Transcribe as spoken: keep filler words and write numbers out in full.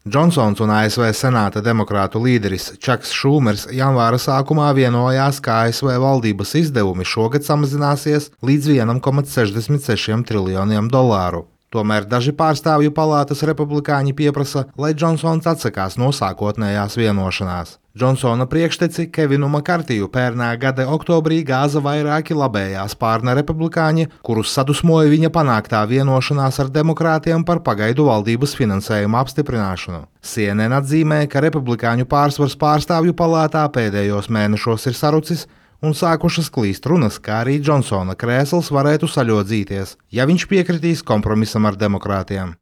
Džonsons un A S V Senāta demokrātu līderis Čaks Šūmers janvāra sākumā vienojās, ka A S V valdības izdevumi šogad samazināsies līdz vienam komats sešdesmit sešiem triljoniem dolāru. Tomēr daži pārstāvju palātas republikāņi pieprasa, lai Džonsons atsakās no sākotnējās vienošanās. Džonsona priekšteci Kevinu Makartiju pērnā gada oktobrī gāza vairāki labējā spārna republikāņi, kurus sadusmoja viņa panāktā vienošanās ar demokrātiem par pagaidu valdības finansējuma apstiprināšanu. C N N atzīmē, ka republikāņu pārsvars pārstāvju palātā pēdējos mēnešos ir sarucis un sākušas klīst runas, kā arī Džonsona krēsls varētu saļodzīties, ja viņš piekritīs kompromisam ar demokrātiem.